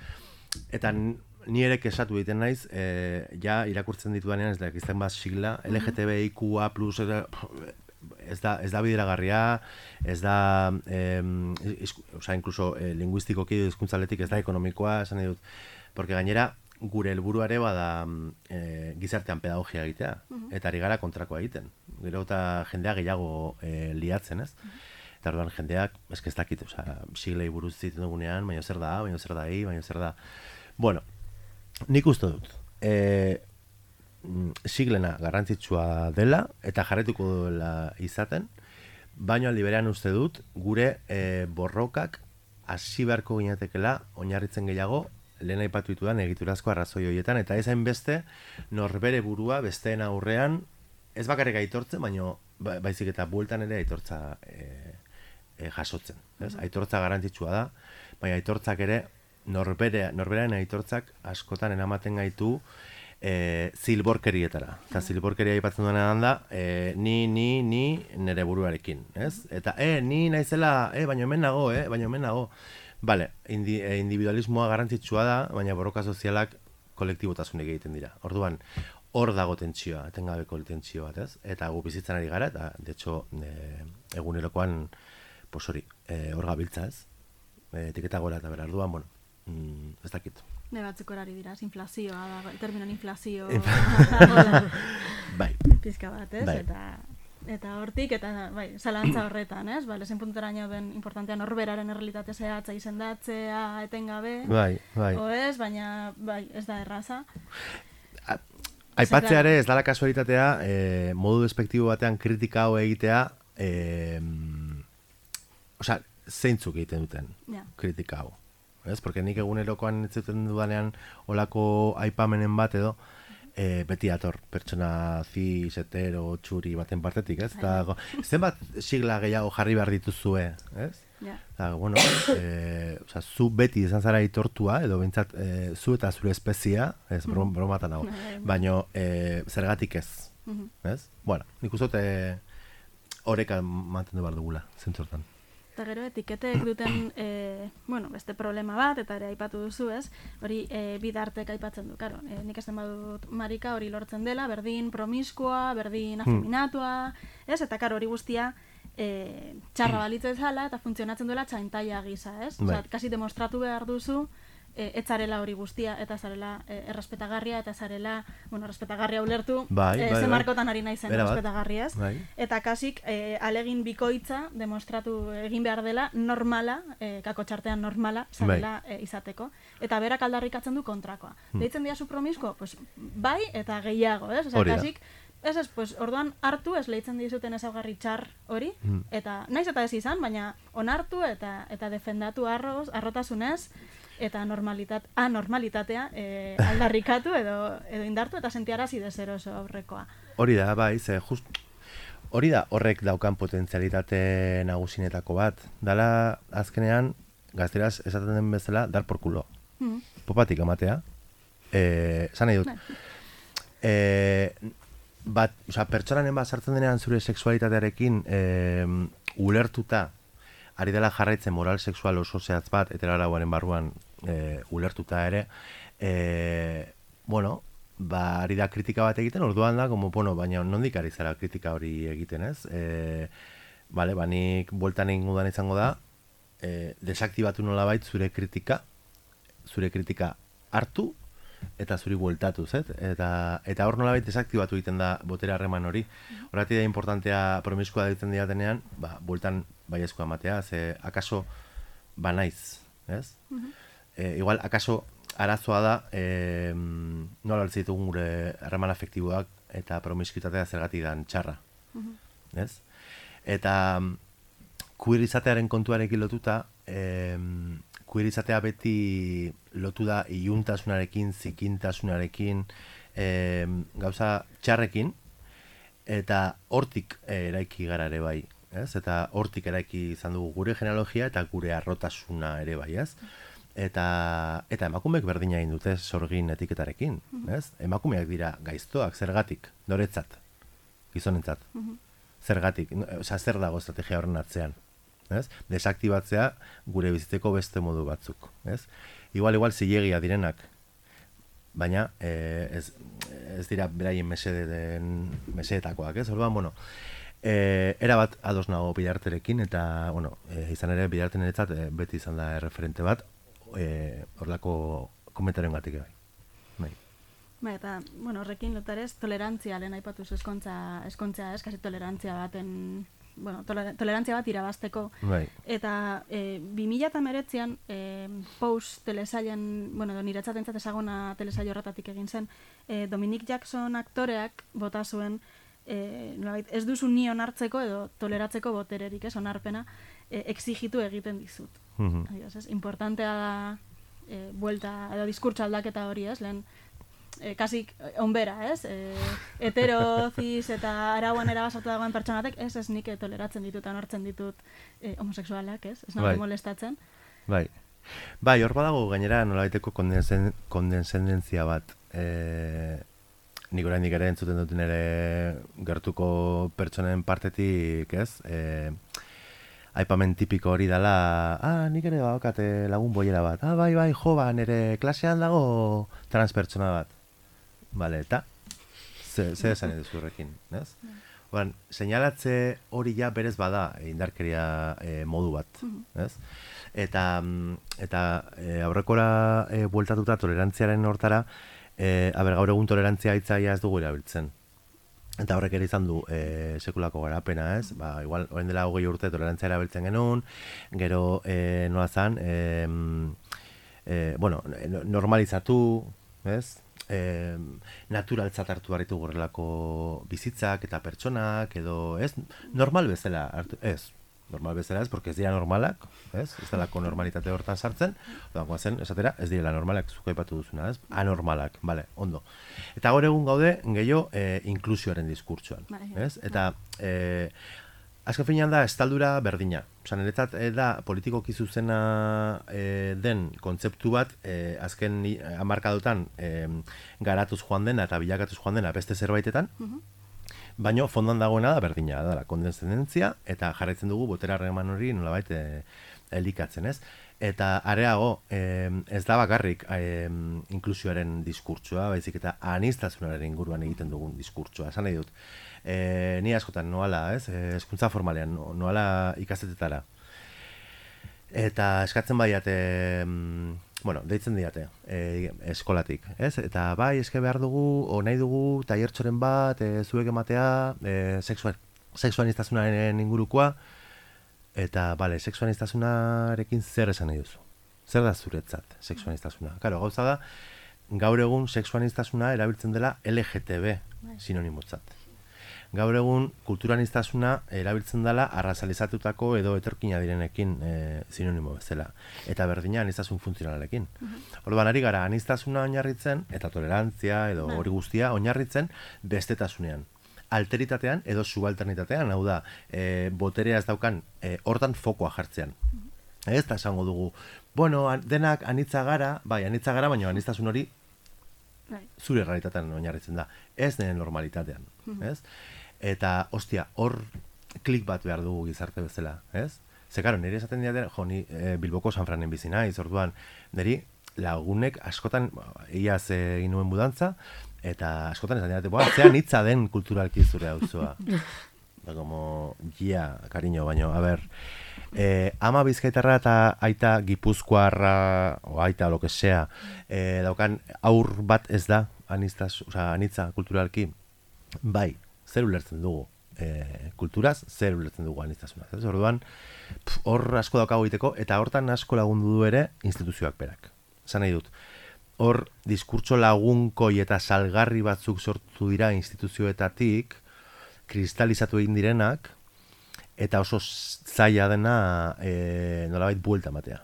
Eta ni ere kesatu egiten naiz, e, ja irakurtzen ditudanean, ez da, izten bat sigla, L G T B I Q A plus, ez da, ez da bideragarria, ez da, e, izku, oza, inkluso, e, linguistikoki hizkuntzaletik ez da ekonomikoa, zan nahi dut, porque gainera, gure helburuare bada e, gizartean pedagogia egitea, uh-huh. eta ari gara kontrakoa egiten. Gero eta jendea gehiago e, liatzen, ez? Uh-huh. Eta orduan jendeak, eske ez dakit, osea, siglei buruz ziten dugunean, baina zer da, baina zer da hi, baina zer da... Bueno, nik uste dut, e, siglena garrantzitsua dela, eta jarretuko duela izaten, baina aldi berean uste dut, gure e, borrokak hasi beharko ginetekela, oinarritzen gehiago, lehen aipatu ditudan egiturazko arrazoi horietan, eta ez hainbeste norbere burua besteen aurrean, ez bakarrik aitortzen, baina baizik eta bueltan ere aitortza e, e, jasotzen. Ez? Aitortza garrantzitsua da, baina aitortzak ere, norbere, norberaren aitortzak askotan eramaten gaitu e, zilborkerietara. Eta zilborkeria aipatzen duena da, e, ni, ni, ni, nere buruarekin. Ez? Eta, e, ni naizela, e, baina hemen nago, e, baina hemen nago. Bale, indi, individualismoa garrantzitsua da, baina borroka sozialak kolektibotasunik egiten dira. Orduan, hor dago tentsioa, etengabeko tentsio bat, ez? Eta gu bizitzan ari gara, eta, de hecho, e, egunerokoan, pues hori, e, hor gabiltza, ez? E, etiketa gora eta bera, orduan, bueno, mm, ez dakit. Ne batzuk horari dira, inflazioa, da, terminon inflazio, bai. Pizka bat, ez? Bai. Eta... Eta hortik, eta bai, zalantza horretan, ez? Ba, lezen puntutara nio ben importantea norberaren errealitate zehatza izendatzea etengabe. Bai, bai. O ez, baina bai, ez da erraza. Aipatzeare ez dala kasualitatea, eh, modu despektibo batean kritika hau egitea, eh, osea, zeintzuk egiten duten ja. Kritika hau. Ez? Porque nik egunerokoan ez zuten dudanean olako aipamenen bat edo, E, beti dator, pertsona cis, hetero, txuri baten partetik, ez? Eta, zenbat sigla gehiago jarri behar dituzue, ez? Yeah. Eta, bueno, e, oza, zu beti izan zara aitortua, edo bintzat, e, zu eta zure espezia, ez, brom, bromatan hau, baina e, zergatik ez, ez? Bueno, nik uste horreka mantendu behar dugula, zentzortan. Eta gero etiketek duten e, bueno, beste problema bat, eta ere aipatu duzu, ez? Hori e, bidartek aipatzen du, karo. E, nik esten badut marika hori lortzen dela, berdin promiskua, berdin afeminatua, ez? Eta karo hori guztia e, txarra balitzu ezala eta funtzionatzen duela txaintaia gisa, ez? Osa, kasi demostratu behar duzu e, etzarela hori guztia, eta zarela e, errespetagarria, eta zarela, bueno, errespetagarria ulertu, bai, e, bai, ze bai. markotan ari naizen errespetagarriaz, bai. Eta kasik e, alegin bikoitza demostratu egin behar dela normala, e, kako txartean normala, zarela bai. e, izateko, eta berak aldarrikatzen du kontrakoa. Hmm. Deitzen dia su promisko? Pues, bai eta gehiago, ez? Osea, kasik, ez ez, pues, orduan hartu ez leitzen dizuten ezaugarri txar hori, hmm. eta naiz eta ez izan, baina onartu eta eta defendatu arroz, arrotasunez, eta normalitat, anormalitatea e, aldarrikatu edo, edo indartu eta sentiarazi dezeroso aurrekoa. Hori da, bai, ze, just, hori da horrek daukan potentzialitate nagusinetako bat. Dala, azkenean, gazteraz esaten den bezala, dar por culo. Mm. Popatik amatea. Eh, zan nahi dut. Eh, bat, oza, pertsonanen bat sartzen denean zure sexualitatearekin eh, ulertuta, ari dela jarraitzen moral sexual oso zehatz bat, heteroarauaren barruan e, ulertuta ere, e, bueno, ba, ari da kritika bat egiten, orduan da, como, bueno, baina nondik ari zara kritika hori egiten, ez? E, bale, ba, nik bueltan ingudan izango da, e, desaktibatu nolabait zure kritika, zure kritika hartu, eta zuri bueltatu, zet? Eta, eta hor nolabait desaktibatu egiten da botere harreman hori. Horretik da importantea promiskua ditzen diatenean, ba, bueltan baiezkoa ematea, ze akaso banaiz, ez? Uh-huh. E, igual, akaso arazoa da, e, nola altzitugun gure harreman afektiboak eta promiskitatea zergatik dan txarra, uh-huh. ez? Eta queer izatearen kontuarekin lotuta, eh, queer izatea beti lotu da iluntasunarekin, zikintasunarekin, eh, gauza txarrekin, eta hortik eraiki gara ere bai, ez? Eta hortik eraiki izan dugu gure genealogia eta gure arrotasuna ere bai, ez? Eta, eta emakumeek berdina egin dute sorgin etiketarekin, ez? Emakumeak dira gaiztoak, zergatik, noretzat, gizonentzat. Zergatik, osea, zer dago estrategia horren atzean, ez? Desaktibatzea gure bizitzeko beste modu batzuk, ez? Igual, igual, zilegia direnak, baina eh, ez, ez dira beraien mesedeen, mesedetakoak, ez? Orduan, bueno, eh, era bat ados nago Bidarterekin, eta, bueno, eh, izan ere Bidarteneretzat eh, beti izan da referente bat, eh, horlako komentaren gatik bai. Bai. Ba, eta, bueno, horrekin lotarez, tolerantzia lehen aipatuz eskontza, eskontza ez, kasi tolerantzia baten, bueno, toler, tolerantzia bat irabazteko. Bai. Eta e, bi mila hemeretzian e, Pose telesailen, bueno, niretzatentzat ezaguna telesaio horretatik egin zen, e, Dominic Jackson aktoreak bota zuen, e, nolabait, ez duzu ni onartzeko edo toleratzeko botererik, ez, onarpena, e, exigitu egiten dizut. Mhm. Adios, ez, importantea da e, buelta, edo diskurtso aldaketa hori, ez, lehen, E, kasik onbera, ez? E, hetero, cis eta arauan erabasatu dagoen pertsonatek, ez, ez nik toleratzen ditut, onartzen ditut e, homosexualak, ez? Ez nago Bai. molestatzen. Bai. Bai, hor badago gainera nolabaiteko kondensen, kondensendentzia bat. E, nik oraindik ere entzuten dut nire gertuko pertsonen partetik, ez? E, aipamen tipiko hori dela, ah, nik ere baukate lagun boiera bat, ah, bai, bai, jo, ba, nire klasean dago transpertsona bat. Bale, eta ze, ze esan edo zurrekin, ez? Oran, seinalatze hori ja berez bada indarkeria e, modu bat, ez? Eta, eta e, aurrekora e, bueltatuta tolerantziaren hortara, e, aber, gaur egun tolerantzia hitzaia ez dugu erabiltzen. Eta horrek ere izan du e, sekulako garapena, ez? Ba, igual, orain dela hogei urte tolerantzia erabiltzen genuen, gero e, nola zan, e, e, bueno, normalizatu, ez? E, naturaltzat hartu barritu gorrelako bizitzak eta pertsonak, edo, ez? Normal bezala hartu, ez? Normal bezala ez, porque ez dira normalak, ez? Ez dalako normalitate hortan sartzen, oda, guazen, esatera, ez direla normalak, zuko aipatu duzuna, ez? Anormalak, bale, ondo. Eta gaur egun gaude, gehiago, e, inklusioaren diskurtsoan, ez? Eta, e, azken finean da, estaldura berdina. Osa, niretzat e, da, politikoki zuzena e, den kontzeptu bat, e, azken hamarkadotan e, garatuz joan dena eta bilakatuz joan dena beste zerbaitetan, baina fondan dagoena da berdina, da, la kondescendentzia, eta jarraitzen dugu botera harreman hori nolabait e, elikatzen, ez? Eta areago, e, ez da bakarrik e, inklusioaren diskurtsoa, baizik eta aniztasunaren inguruan egiten dugun diskurtsoa, esan nahi dut. E, ni askotan noala, ez? E, hezkuntza formalean, noala ikastetetara. Eta eskatzen baiate, bueno, deitzen diate, e, eskolatik, ez? Eta bai, eske behar dugu, o nahi dugu, tailertxoren bat, e, zuek ematea, e, sexual, sexuaniztasunaren ingurukoa, eta, bale, sexuaniztasunarekin zer esan nahi duzu? Zer da zuretzat, sexuaniztasuna? Karo, gauza da, gaur egun sexuaniztasuna erabiltzen dela L G T B sinonimotzat. Gaur egun kulturaniztasuna erabiltzen dela arrazalizatutako edo etorkina direnekin e, sinonimo bezala. Eta berdina anistasun funtzionalekin. Orduan ari gara anistasuna oinarritzen eta tolerantzia edo hori guztia oinarritzen bestetasunean. Alteritatean edo subalternitatean, hau da, e, boterea ez daukan e, hortan fokoa jartzean. Ez da esango dugu, bueno, denak anitza gara, bai, anitza gara, baina anistasun hori zure realitatean oinarritzen da. Ez den normalitatean, ez? Eta, ostia, hor klik bat behar dugu gizarte bezala, ez? Ze, karo, niri esaten dira, jo, ni e, Bilboko San Franen bizi naiz, orduan, niri lagunek askotan, iaz egin nuen budantza, eta askotan esan dira, boa, zean hitza den kulturalki zure auzoa. Da, como, gia, cariño, baino, a ber, eh, ama bizkaitarra eta aita gipuzkoarra, o aita, lo que sea, eh, daukan aur bat ez da, anistaz, oza, anitza kulturalki, bai, zer ulertzen dugu e, kulturaz, zer ulertzen dugu aniztasuna. Ez orduan, hor asko daukago egiteko, eta hortan asko lagundu du ere instituzioak berak. Esan nahi dut, hor diskurtso lagunkoi eta salgarri batzuk sortu dira instituzioetatik, kristalizatu egin direnak, eta oso zaila dena e, nolabait buelta ematea.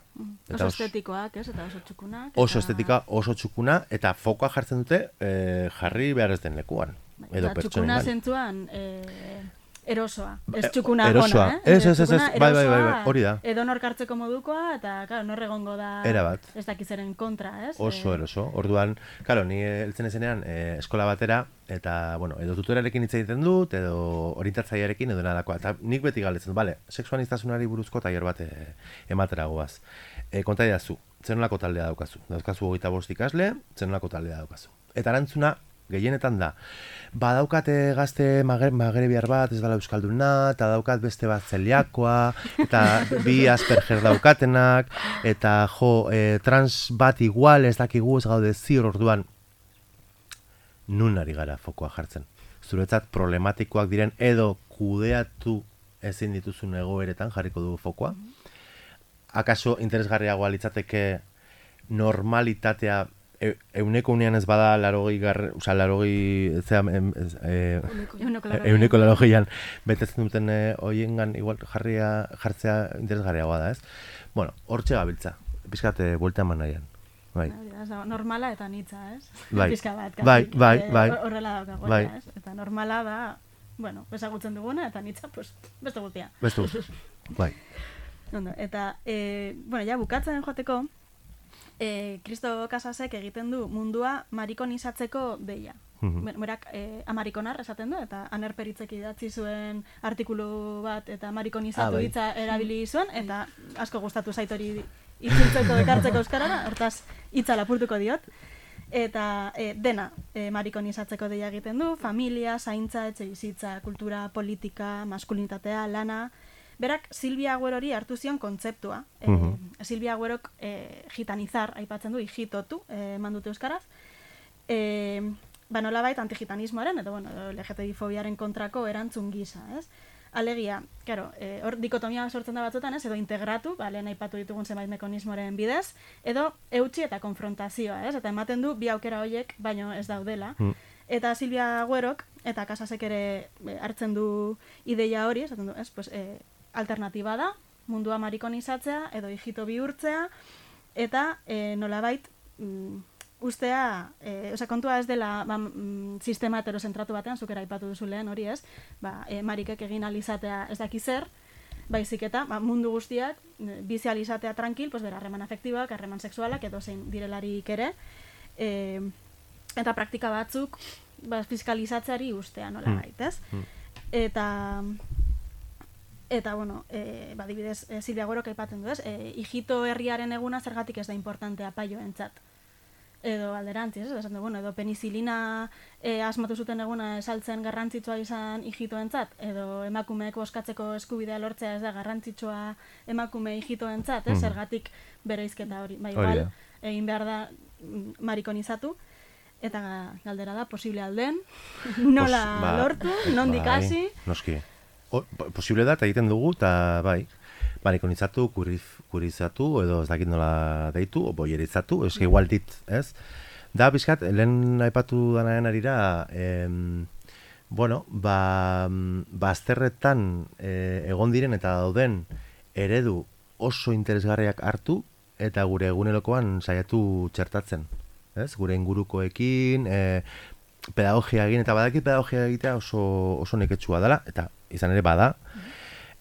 Oso estetikoak, ez? Eta oso txukunak. Oso estetika, oso txukuna, eta fokoa jartzen dute e, jarri behar ez den lekuan. Edo txukuna zentzuan e, erosoa, ez txukuna erosoa. Ona, eh? Ez, ez, ez, ez, bai, bai, bai, hori da. Edo nor kartzeko modukoa, eta, claro, nor egongo da ez dakizeren kontra, ez? Oso eroso. Orduan, claro, ni heltzen ezenean e, eskola batera, eta, bueno, edo tutorearekin hitz egiten dut, edo orientatzailearekin, edo nadakoa. Eta nik beti galdetzen dut, bale, sexuaniztasunari buruzko tailer bat e, ematera goaz. E, konta idazu, zenolako taldea daukazu. Dauzkazu hogeita bost ikasle, zenolako taldea daukazu. Eta erantzuna, gehienetan da, badaukate gazte magrebiar bat, ez dela euskalduna, eta daukat beste bat zeliakoa, eta bi Asperger daukatenak, eta jo, e, trans bat igual ez dakigu ez gaude ziur orduan, nun ari gara fokoa jartzen. Zuretzat problematikoak diren edo kudeatu ezin dituzun egoeretan jarriko du fokoa. Akaso interesgarriagoa litzateke normalitatea E, euneko unean ez bada larogei garre, oza, larogei, zera, em, ez, e, euneko larogeian betetzen duten e, oiengan igual jarria, jartzea interesgarriagoa da, ez? Bueno, hortxe gabiltza, pizkate buelta eman nahian. Bai. Normala eta nitza, ez? Bai, Pizka bat, bai, bai, bai. Horrela daukagoa, bai. Ez? Eta normala da, bueno, bezagutzen duguna, eta nitza, pues, beste guztia. Beste guztia, bai. Ondo, eta, e, bueno, ja, bukatzen joateko, E, Kristo Casasek egiten du mundua marikonizatzeko deia. Mm-hmm. Berak e, amarikonar esaten du, eta Aner Peritzek idatzi zuen artikulu bat, eta marikonizatu hitza ah, erabili zuen, eta asko gustatu zait hori itzultzeko ekartzeko euskarara, hortaz hitza lapurtuko diot. Eta e, dena e, marikonizatzeko deia egiten du, familia, zaintza, etxe bizitza, kultura, politika, maskulinitatea, lana. Berak Silvia Agüerori hartu zion kontzeptua. Uh-huh. E, Silvia Agüerok e, gitanizar, aipatzen du, hijitotu, e, mandute euskaraz. E, ba nolabait antigitanismoaren, edo bueno, L G T B fobiaren kontrako erantzun gisa, ez? Alegia, claro, e, hor dikotomia sortzen da batzutan, ez? Edo integratu, ba, lehen aipatu ditugun zenbait mekanismoren bidez, edo eutsi eta konfrontazioa, ez? Eta ematen du bi aukera horiek, baino ez daudela. Uh-huh. Eta Silvia Agüerok, eta Casasek ere hartzen du ideia hori, esaten du, ez? Pues, e, alternatiba da, mundua marikonizatzea edo hijito bihurtzea, eta e, nolabait mm, ustea, e, osea, kontua ez dela ba, mm, sistema heterozentratu batean, zukera aipatu duzu lehen hori ez, ba, e, marikek egin alizatea ez daki zer, baizik eta ba, mundu guztiak bizi alizatea tranquil, pues, bera, harreman afektibak, harreman sexualak, edo zein direlarik ere, e, eta praktika batzuk ba, fiskalizatzeari ustea nolabait, ez? Mm. Eta... Eta, bueno, e, ba, dibidez, e, Silvia Agüerok aipatzen du, ez? E, hijito herriaren eguna zergatik ez da importantea paioentzat. Edo alderantziz, ez? Esan du, bueno, edo penizilina e, asmatu zuten eguna esaltzen garrantzitsua izan hijitoentzat, edo emakumeek boskatzeko eskubidea lortzea ez da garrantzitsua emakume hijitoentzat, ez? Mm. Zergatik bereizketa hori. Ba, igual, egin behar da marikonizatu, eta galdera da, posible alden, nola Pos, ba, lortu, nondik hasi. Noski. O, posible da, eta egiten dugu, eta bai, marikonizatu, kuriz, kurizatu, edo ez dakit nola deitu, o boierizatu, eski igual dit, ez? Da, bizkat, lehen aipatu danaen arira, em, bueno, ba, bazterretan e, egon diren eta dauden eredu oso interesgarriak hartu, eta gure egunerokoan saiatu txertatzen, ez? Gure ingurukoekin, e, pedagogia egin, eta badakit pedagogia egitea oso, oso neketsua dela, eta izan ere bada,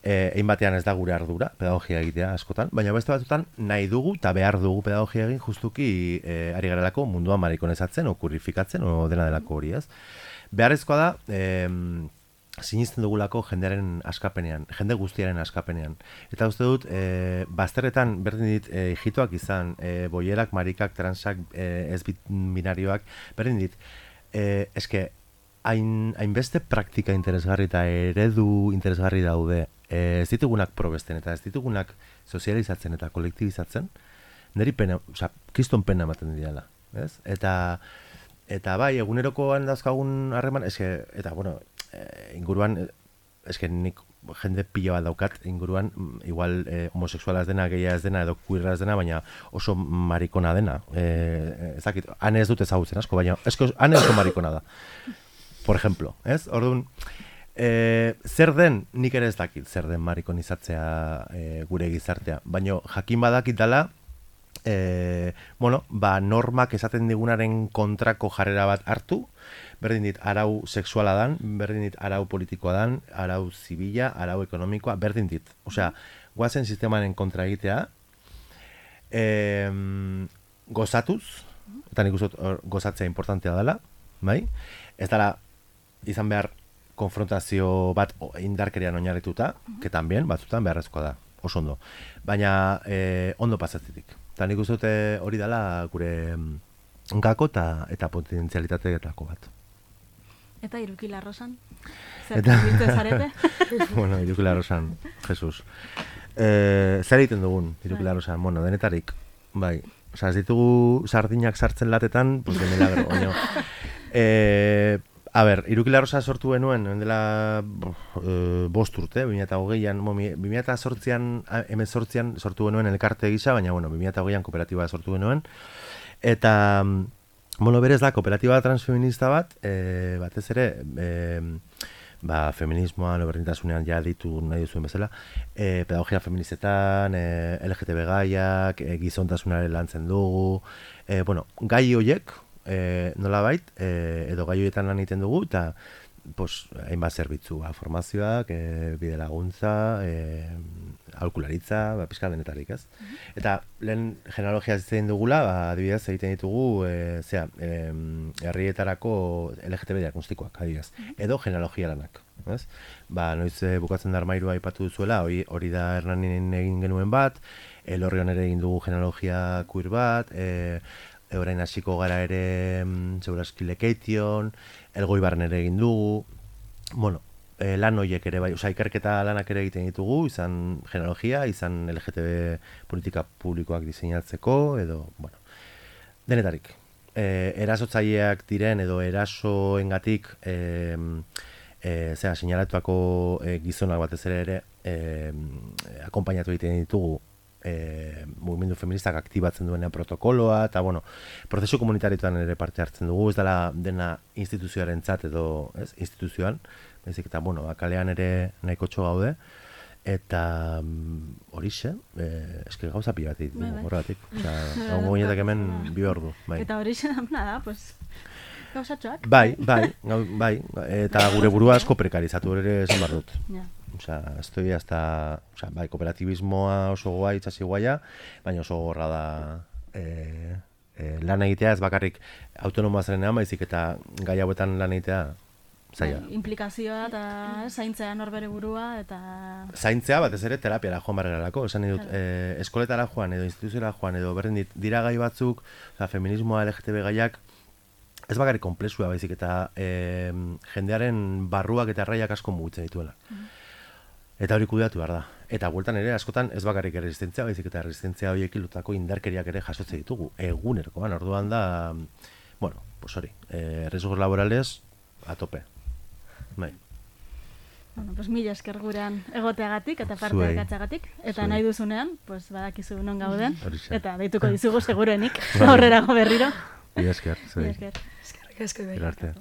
eh, egin batean ez da gure ardura, pedagogia egitea askotan, baina beste batzutan nahi dugu eta behar dugu pedagogia egin justuki eh, ari garelako mundua marikonezatzen, o kurrifikatzen, o dena delako hori, ez? Beharrezkoa da, eh, sinisten dugulako jendearen askapenean, jende guztiaren askapenean. Eta uste dut, e, bazterretan berdin dit e, hijitoak izan, e, boierak, marikak, transak, e, ez binarioak, berdin dit, e, eske, hain, hainbeste praktika interesgarri eta eredu interesgarri daude, e, ez ditugunak probesten eta ez ditugunak sozializatzen eta kolektibizatzen, niri pena, oza, kriston pena ematen dira, ez? Eta, eta bai, egunerokoan dauzkagun harreman, eske, eta, bueno, e, inguruan, eske nik jende pila bat daukat inguruan, igual eh, homosexuala ez dena, gehia ez dena, edo queerra ez dena, baina oso marikona dena. Eh, ezakit, hane ez dut ezagutzen asko, baina esko, hane oso marikona da. Por ejemplo, ez? Orduan, E, zer den, nik ere ez dakit, zer den marikonizatzea e, gure gizartea. Baina jakin badakit dela, e, bueno, ba, normak esaten digunaren kontrako jarrera bat hartu, berdin dit arau sexuala dan, berdin dit arau politikoa dan, arau zibila, arau ekonomikoa, berdin dit. Osea, guazen sistemaren kontra egitea, e, gozatuz, eta nik uste gozatzea importantea dela, bai? Ez dela izan behar konfrontazio bat indarkerian oinarrituta, que también, batzutan beharrezkoa da, oso ondo. Baina eh, ondo pasatzetik. Eta nik uste dute hori dela gure gako eta, eta potentzialitateetako bat. Eta Irukila Rosan? Zer eta... zarete? Bueno, Irukila Rosan, Jesus. Eh, zer egiten dugun, Irukila Rosan? Bueno, denetarik, bai. Osa, ez ditugu sardinak sartzen latetan, pues de milagro, baina. Eh, a ber, Irukila Rosa sortu genuen, dela e, bost urte, bi mila hogeian, bi mila zortzian, hemezortzian sortu genuen elkarte gisa, baina, bueno, bi mila hogeian kooperatiba sortu genuen. Eta, bueno, berez da, kooperatiba transfeminista bat, e, batez ere, e, ba, feminismoan, berdintasunean ja ditu nahi duzuen bezala, e, pedagogia feministetan, e, L G T B gaiak, e, gizontasunaren lantzen dugu, e, bueno, gai horiek, e, nolabait, e, edo gai horietan lan egiten dugu, eta pues, hainbat zerbitzu, ba, formazioak, e, bide laguntza, e, aholkularitza, ba, pizka denetarik, ez? Mm-hmm. Eta lehen genealogia egiten dugula, ba, adibidez egiten ditugu, e, zera, e, herrietarako L G T B diagnostikoak, adibidez, mm-hmm. edo genealogia lanak, ez? Ba, noiz e, bukatzen da armairua aipatu duzuela, hori, hori da Hernanin egin genuen bat, Elorrion ere egin dugu genealogia queer bat, e, orain hasiko gara ere segurazki Lekeition, Elgoibarren ere egin dugu, bueno, e, lan horiek ere bai, oza, ikerketa lanak ere egiten ditugu, izan genealogia, izan L G T B politika publikoak diseinatzeko, edo, bueno, denetarik. E, erasotzaileak diren edo erasoengatik e, e, zera, sinalatuako e, gizonak batez ere ere e, akonpainatu egiten ditugu E, mugimendu feministak aktibatzen duenean protokoloa, eta bueno, prozesu komunitarioetan ere parte hartzen dugu, ez dela dena instituzioaren zat edo, ez, instituzioan, baizik eta, bueno, kalean ere nahiko txo gaude, eta horixe, e, eske gauza pila bat egiten dugu, horregatik, oza, gaungo ginetak hemen bi ordu, bai. Eta horixe da, pues, gauzatxoak. Bai, bai, bai, eta gure burua asko prekarizatu ere esan behar dut. Ja. Osea, estoy hasta, osea, bai, kooperatibismoa oso guai, itxasi guaia, baina oso gorra da e, e, lan egitea, ez bakarrik autonomoa zerenean, baizik eta gai hauetan lan egitea zaila. Bai, implikazioa eta zaintzea norbere burua eta... Zaintzea, batez ere, terapiara joan barrerarako, esan dut, e, eskoletara joan edo instituziora joan edo berdin dit, dira gai batzuk, osea, feminismoa, L G T B gaiak, ez bakarrik komplexua baizik eta e, jendearen barruak eta erraiak asko mugitzen dituela. Mm-hmm. Eta hori kudeatu behar da. Eta bueltan ere, askotan ez bakarrik erresistentzia, baizik eta erresistentzia horiek lotako indarkeriak ere jasotze ditugu. Egunerkoan, orduan da, bueno, pues hori, eh, riesgos laborales a tope. Bai. Bueno, pues mila esker gurean egoteagatik eta parte hartzeagatik. Eta Zuei. Nahi duzunean, pues badakizu non gauden. Eta deituko dizugu segurenik aurrerago berriro. Mila esker. Mila esker. Eskerrik asko bai. Arte.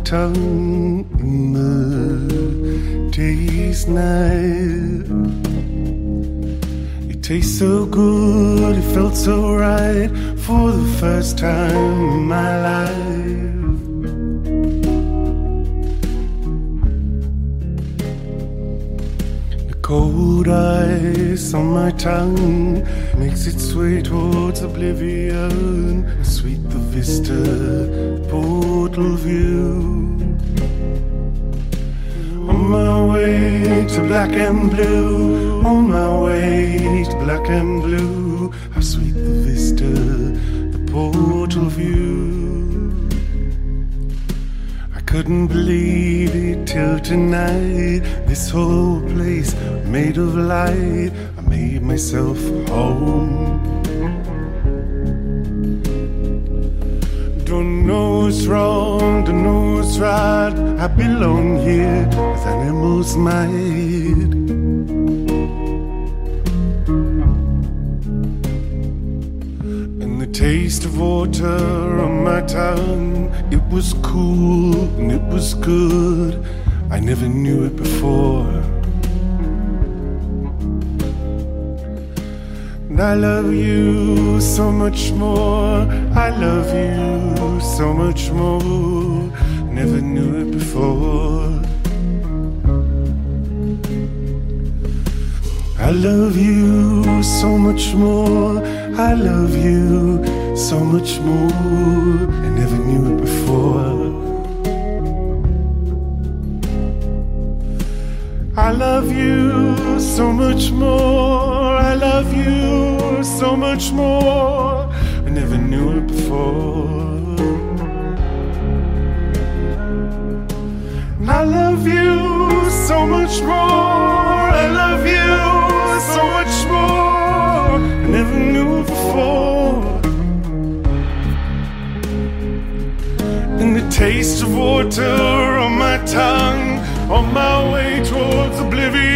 Tongue in the day's night. It tastes so good, it felt so right for the first time in my life. The Cold ice on my tongue makes its way towards oblivion. Sweet the vista, portal view. On my way to black and blue, on my way to black and blue. How sweet the vista, the portal view. I couldn't believe it till tonight. This whole place made of light. I made myself home. Don't know what's wrong, don't know what's right. I belong here as animals might. And the taste of water on my tongue, it was cool and it was good. I never knew it before. And I love you so much more. I love you so much more. Never knew it before. I love you so much more. I love you so much more. I never knew it before. I love you so much more. I love you so much more. I never knew it before. I love you so much more. I love you so much more. I never knew it before. And the taste of water on my tongue, on my way towards oblivion.